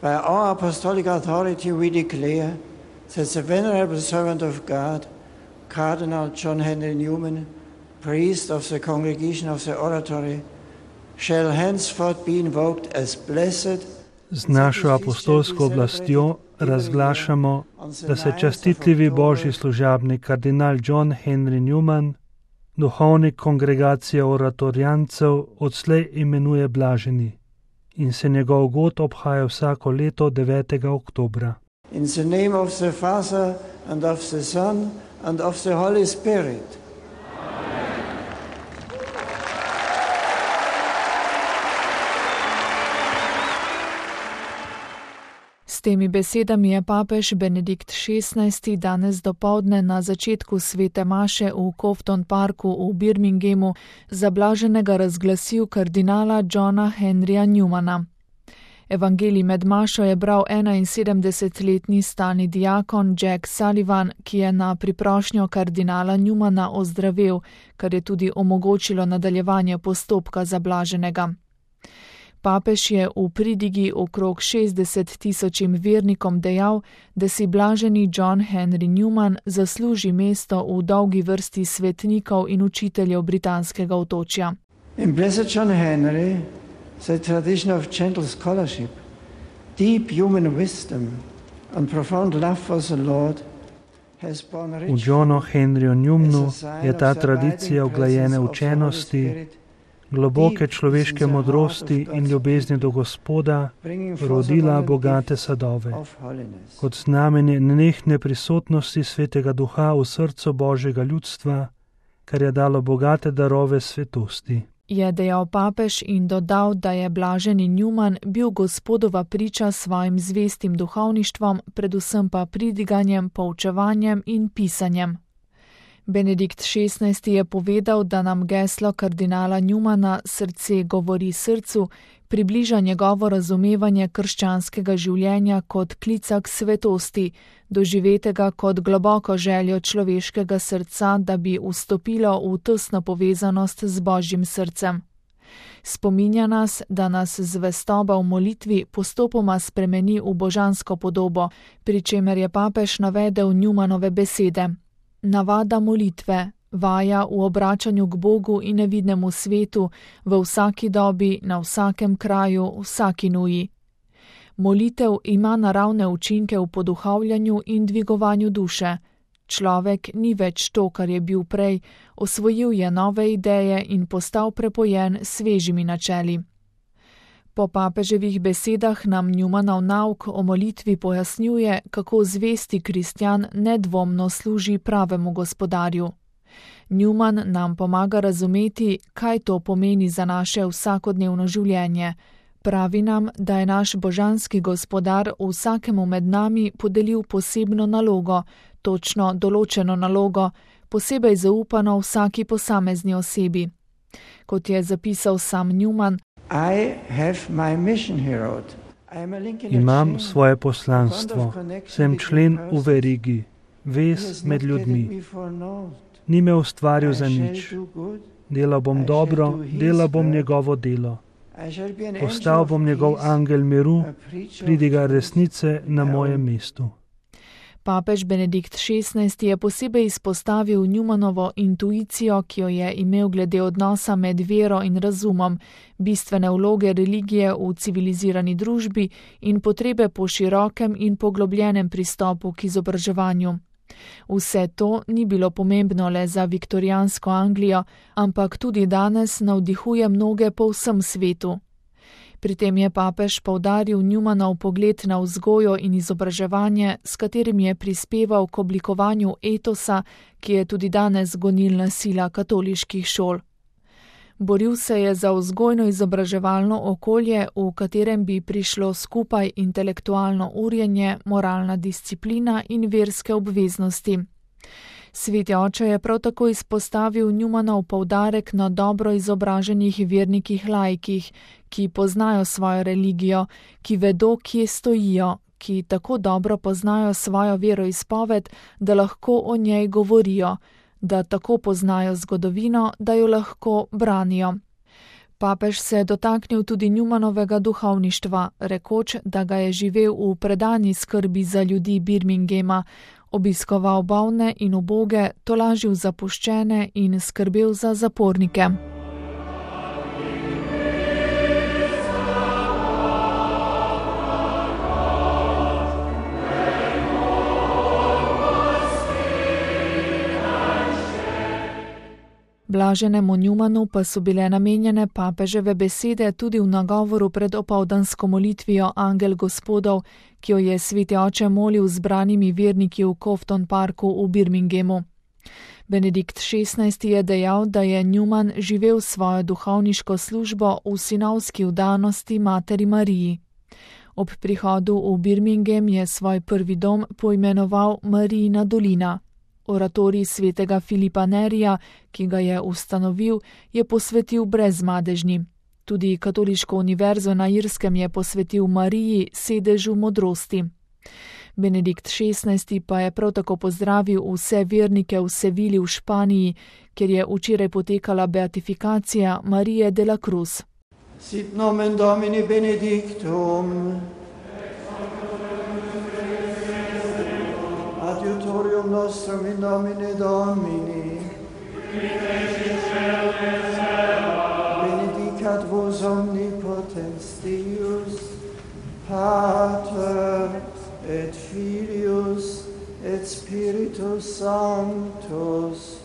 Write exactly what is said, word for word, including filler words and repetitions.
By our apostolic authority we declare that the venerable servant of God, Cardinal John Henry Newman, priest of the Congregation of the Oratory, shall henceforth be invoked as blessed. Z našo apostolsko oblastjo razglašamo, da se častitljivi božji služabnik kardinal John Henry Newman, duhovnik kongregacije oratorijancev, odslej imenuje blaženi in se njegov god obhaja vsako leto devetega oktobra. In the name of the Father and of the Son and of the Holy Spirit. S temi besedami je papež Benedikt šestnajsti danes dopoldne na začetku svete maše v Cofton Parku v Birminghamu za blaženega razglasil kardinala Johna Henryja Newmana. Evangelij med mašo je bral enainsedemdesetletni stalni diakon Jack Sullivan, ki je na priprošnjo kardinala Newmana ozdravel, kar je tudi omogočilo nadaljevanje postopka za blaženega. Papež je v pridigi okrog šestdeset tisočim vernikom dejal, da si blaženi John Henry Newman zasluži mesto v dolgi vrsti svetnikov in učiteljev britanskega otočja. In blessed John Henry, the tradition of gentle scholarship, deep human wisdom and profound love for the Lord has borne rich. V Johnu Henryju Newmanu je ta tradicija oglajene učenosti, globoke človeške modrosti in ljubezni do Gospoda rodila bogate sadove. Kot znamenje nenehne prisotnosti Svetega Duha v srcu Božjega ljudstva, kar je dalo bogate darove svetosti. Je dejal papež in dodal, da je blaženi Newman bil Gospodova priča svojim zvestim duhovništvom, predvsem pa pridiganjem, poučevanjem in pisanjem. Benedikt šestnajsti je povedal, da nam geslo kardinala Newmana Srce govori srcu približa njegovo razumevanje krščanskega življenja kot klica k svetosti, doživetega kot globoko željo človeškega srca, da bi vstopilo v tesno povezanost z Božjim srcem. Spominja nas, da nas zvestoba v molitvi postopoma spremeni v božansko podobo, pri čemer je papež navedel Newmanove besede. Navada molitve, vaja v obračanju k Bogu in nevidnemu svetu, v vsaki dobi, na vsakem kraju, vsaki nuji. Molitev ima naravne učinke v poduhovljanju in dvigovanju duše. Človek ni več to, kar je bil prej, osvojil je nove ideje in postal prepojen s svežimi načeli. Po papeževih besedah nam Newmanov nauk o molitvi pojasnjuje, kako zvesti kristjan nedvomno služi pravemu gospodarju. Newman nam pomaga razumeti, kaj to pomeni za naše vsakodnevno življenje. Pravi nam, da je naš božanski gospodar vsakemu med nami podelil posebno nalogo, točno določeno nalogo, posebej zaupano vsaki posamezni osebi. Kot je zapisal sam Newman, imam svoje poslanstvo, sem člen v verigi, vez med ljudmi. Ni me ustvaril za nič. Delal bom dobro, delal bom njegovo delo. Postal bom njegov angel miru, pridiga resnice na mojem mestu. Papež Benedikt šestnajsti je posebej izpostavil Newmanovo intuicijo, ki jo je imel glede odnosa med vero in razumom, bistvene vloge religije v civilizirani družbi in potrebe po širokem in poglobljenem pristopu k izobraževanju. Vse to ni bilo pomembno le za viktorijansko Anglijo, ampak tudi danes navdihuje mnoge po vsem svetu. Pri tem je papež poudaril Newmanov pogled na vzgojo in izobraževanje, s katerim je prispeval k oblikovanju etosa, ki je tudi danes gonilna sila katoliških šol. Boril se je za vzgojno-izobraževalno okolje, v katerem bi prišlo skupaj intelektualno urjenje, moralna disciplina in verske obveznosti. Sveti oče je prav tako izpostavil Newmanov poudarek na dobro izobraženih vernikih laikih, ki poznajo svojo religijo, ki vedo, kje stojijo, ki tako dobro poznajo svojo veroizpoved, da lahko o njej govorijo, da tako poznajo zgodovino, da jo lahko branijo. Papež se je dotaknil tudi Newmanovega duhovništva, rekoč, da ga je živel v predani skrbi za ljudi Birminghama, obiskoval bolne in uboge, tolažil zapuščene in skrbel za zapornike. Blaženemu Newmanu pa so bile namenjene papeževe besede tudi v nagovoru pred opoldansko molitvijo Angel Gospodov, ki jo je sveti oče molil zbranimi verniki v Cofton Parku v Birminghamu. Benedikt šestnajsti je dejal, da je Newman živel svojo duhovniško službo v sinovski vdanosti materi Mariji. Ob prihodu v Birmingham je svoj prvi dom poimenoval Marijina dolina. Oratorij svetega Filipa Nerija, ki ga je ustanovil, je posvetil brezmadežni. Tudi Katoliško univerzo na Irskem je posvetil Mariji, sedežu modrosti. Benedikt šestnajsti pa je prav tako pozdravil vse vernike v Sevili v Španiji, kjer je včeraj potekala beatifikacija Marije de la Cruz. Sit nomen Domini benedictum. Adiutorium nostrum in nomine Domini. Benedicat vos omnipotens Deus, Pater et Filius et Spiritus Sanctus.